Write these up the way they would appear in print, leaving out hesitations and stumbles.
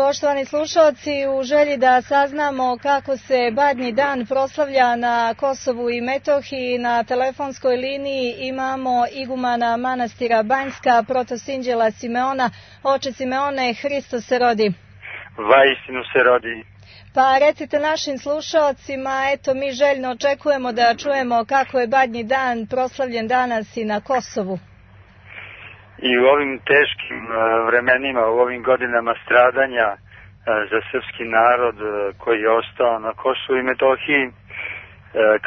Poštovani slušalci, u želji da saznamo kako se Badnji dan proslavlja na Kosovu i Metohiji, na telefonskoj liniji imamo igumana manastira Banjska, protosinđela Simeona. Oče Simeone, Hristos se rodi. Vaistinu se rodi. Pa recite našim slušalcima, eto mi željno očekujemo da čujemo kako je Badnji dan proslavljen danas i na Kosovu. I u ovim teškim vremenima, u ovim godinama stradanja za srpski narod koji je ostao na Kosovu i Metohiji,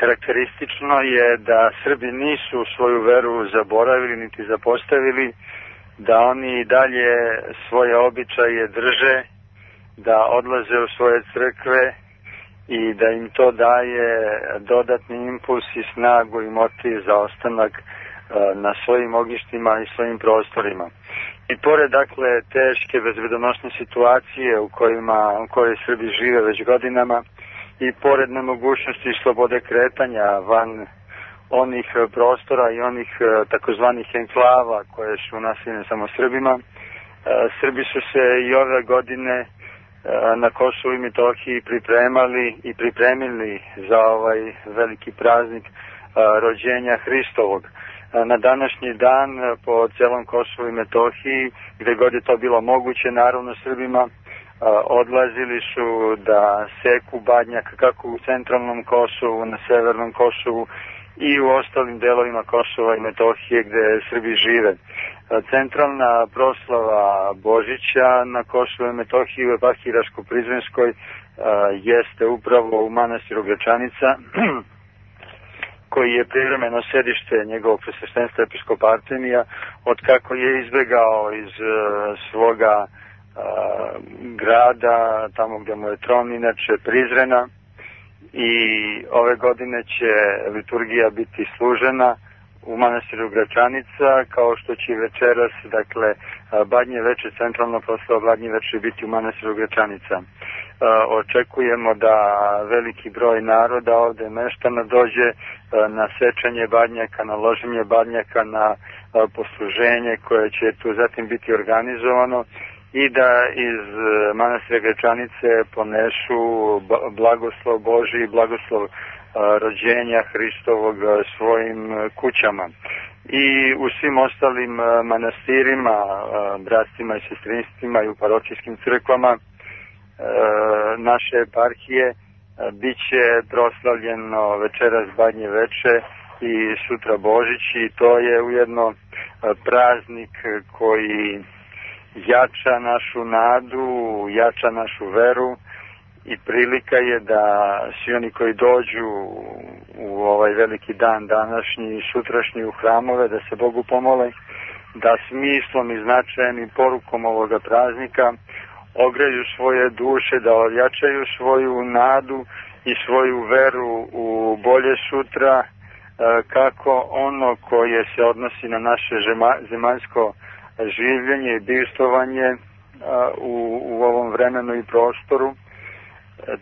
karakteristično je da Srbi nisu svoju veru zaboravili niti zapostavili, da oni dalje svoje običaje drže, da odlaze u svoje crkve i da im to daje dodatni impuls i snagu i motiv za ostanak na svojim ognjištima i svojim prostorima. I pored dakle teške bezbedonosne situacije u kojoj Srbi žive već godinama i pored nemogućnosti slobode kretanja van onih prostora i onih takozvanih enklava koje su naseljene samo Srbima, Srbi su se i ove godine na Kosovu i Metohiji pripremali i pripremili za ovaj veliki praznik rođenja Hristovog. Na današnji dan po celom Kosovu i Metohiji, gde god je to bilo moguće, naravno Srbima, odlazili su da seku badnjak kako u centralnom Kosovu, na severnom Kosovu i u ostalim delovima Kosova i Metohije gde Srbi žive. Centralna proslava Božića na Kosovu i Metohiji u eparhiji Raško-Prizrenskoj jeste upravo u manastiru Gračanica, koji je privremeno sedište njegovog presveštenstva episkopa Artemija, od kako je izbegao iz svoga grada, tamo gde mu je tron, inače Prizrena, i ove godine će liturgija biti služena u manastiru Gračanica, kao što će večeras, dakle, Badnje veče, centralna proslava Badnje veče biti u manastiru Gračanica. Očekujemo da veliki broj naroda ovde meštana dođe na sečanje badnjaka, na loženje badnjaka, na posluženje koje će tu zatim biti organizovano i da iz manastira Gračanice ponešu blagoslov Božji i blagoslov rođenja Hristovog svojim kućama. I u svim ostalim manastirima, bratstvima i sestrinstvima i u paročijskim crkvama naše eparhije bit će proslavljeno večeras Badnje veče i sutra Božić, i to je ujedno praznik koji jača našu nadu, jača našu veru, i prilika je da svi oni koji dođu u ovaj veliki dan današnji i sutrašnji u hramove da se Bogu pomole, da smislom i značajem i porukom ovoga praznika ogreju svoje duše, da ojačaju svoju nadu i svoju veru u bolje sutra, kako ono koje se odnosi na naše zemaljsko življenje i bivstvovanje u ovom vremenu i prostoru,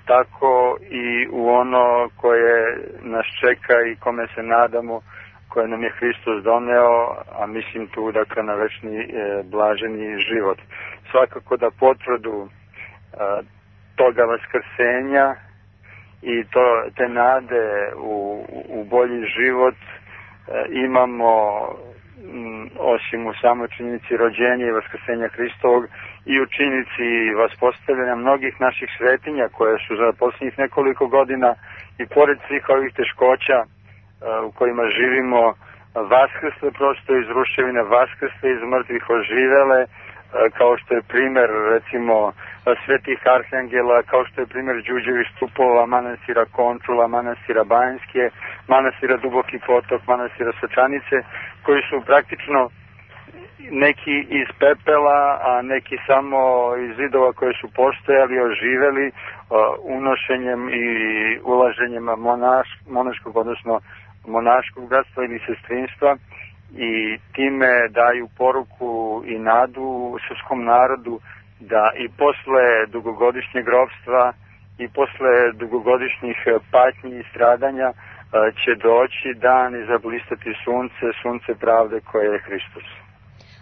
tako i u ono koje nas čeka i kome se nadamo, koje nam je Hristos doneo, a mislim tu dakle na večni blaženi život. Svakako da potvrdu toga vaskrsenja i te nade u bolji život imamo osim u samoj činjenici rođenja i vaskrsenja Hristovog i u činjenici vaspostavljanja mnogih naših svetinja koje su za posljednjih nekoliko godina i pored svih ovih teškoća u kojima živimo vaskrsle prosto iz ruševina, vaskrsle iz mrtvih oživele, kao što je primer recimo svetih arhangela, kao što je primer Đuđevih stupova, manastira Končula, manastira Banjske, manastira Duboki potok, manastira Sočanice, koji su praktično neki iz pepela, a neki samo iz zidova koje su postojali, oživeli unošenjem i ulaženjem monaškog, odnosno monaškog bratstva ili sestrinstva, i time daju poruku i nadu srpskom narodu da i posle dugogodišnjeg ropstva i posle dugogodišnjih patnji i stradanja će doći dan i zablistati sunce pravde koje je Hristos.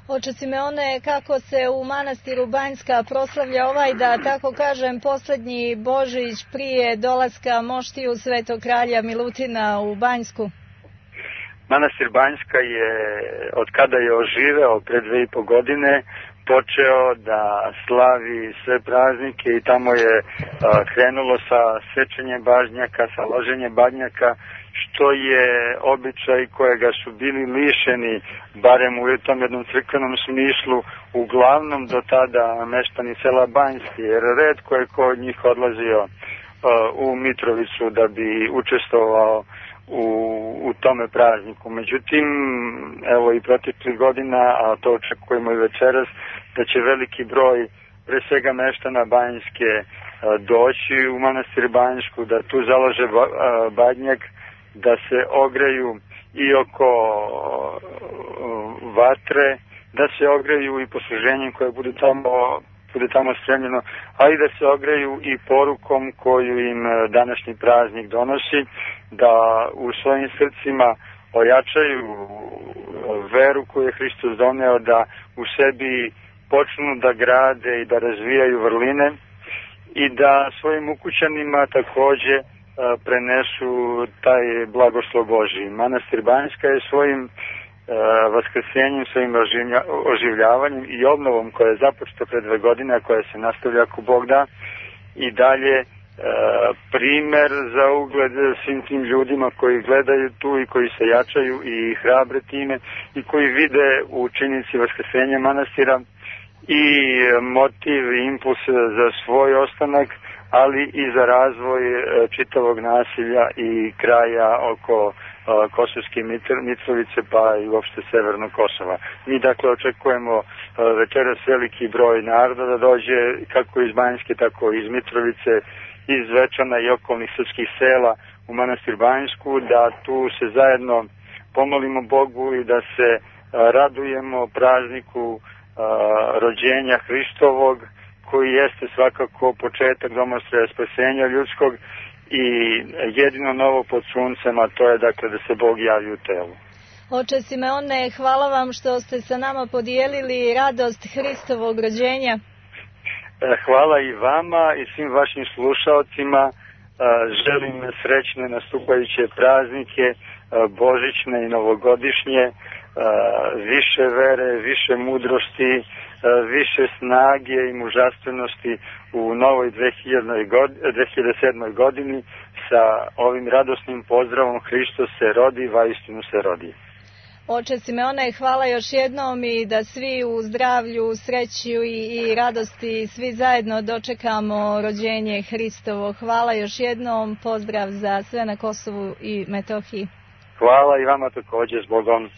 Oče Simeone, kako se u manastiru Banjska proslavlja ovaj, da tako kažem, posljednji Božić prije dolaska moštiju Svetog kralja Milutina u Banjsku? Manastir Banjska je, od kada je oživeo pre 2,5 godine, počeo da slavi sve praznike i tamo je krenulo sa sečenjem badnjaka, sa loženjem badnjaka, što je običaj kojega su bili lišeni, barem u tom jednom crkvenom smislu, uglavnom do tada meštani sela Banjski, jer retko je ko od njih odlazio u Mitrovicu da bi učestvovao u tome prazniku. Međutim, evo i proteklih godina, a to očekujemo i večeras, da će veliki broj pre svega meštana Banjske doći u manastir Banjsku, da tu založe badnjak, da se ogreju i oko vatre, da se ogreju i posluženjem koje bude tamo spremljeno, a i da se ogreju i porukom koju im današnji praznik donosi, da u svojim srcima ojačaju veru koju je Hristos doneo, da u sebi počnu da grade i da razvijaju vrline i da svojim ukućanima takođe prenesu taj blagoslov Božji. Manastir Banjska je svojim vaskrsenjem, svojim oživljavanjem i obnovom koja je započeta pre 2 godine, a koja se nastavlja ako Bog da, i dalje primer za ugled svim tim ljudima koji gledaju tu i koji se jačaju i hrabre time i koji vide u činjenici vaskrsenja manastira i motiv i impuls za svoj ostanak, ali i za razvoj čitavog nasilja i kraja oko Kosovske Mitrovice pa i uopšte Severnog Kosova. Mi dakle očekujemo večeras veliki broj naroda da dođe kako iz Banjske, tako i iz Mitrovice, iz Zvečana i okolnih srpskih sela u manastir Banjsku, da tu se zajedno pomolimo Bogu i da se radujemo prazniku rođenja Hristovog, koji jeste svakako početak domostroja spasenja ljudskog i jedino novo pod suncem, a to je dakle da se Bog javi u telu. Oče Simeone, hvala vam što ste sa nama podijelili radost Hristovog rođenja. Hvala i vama i svim vašim slušaocima. Želim srećne nastupajuće praznike, božićne i novogodišnje, više vere, više mudrosti, više snage i mužastvenosti u novoj 2007. godini sa ovim radosnim pozdravom Hristos se rodi, vaistinu se rodi. Oče Simeone, hvala još jednom i da svi u zdravlju, sreći i radosti svi zajedno dočekamo rođenje Hristovo. Hvala još jednom, pozdrav za sve na Kosovu i Metohiji. Hvala i vama takođe, s Bogom.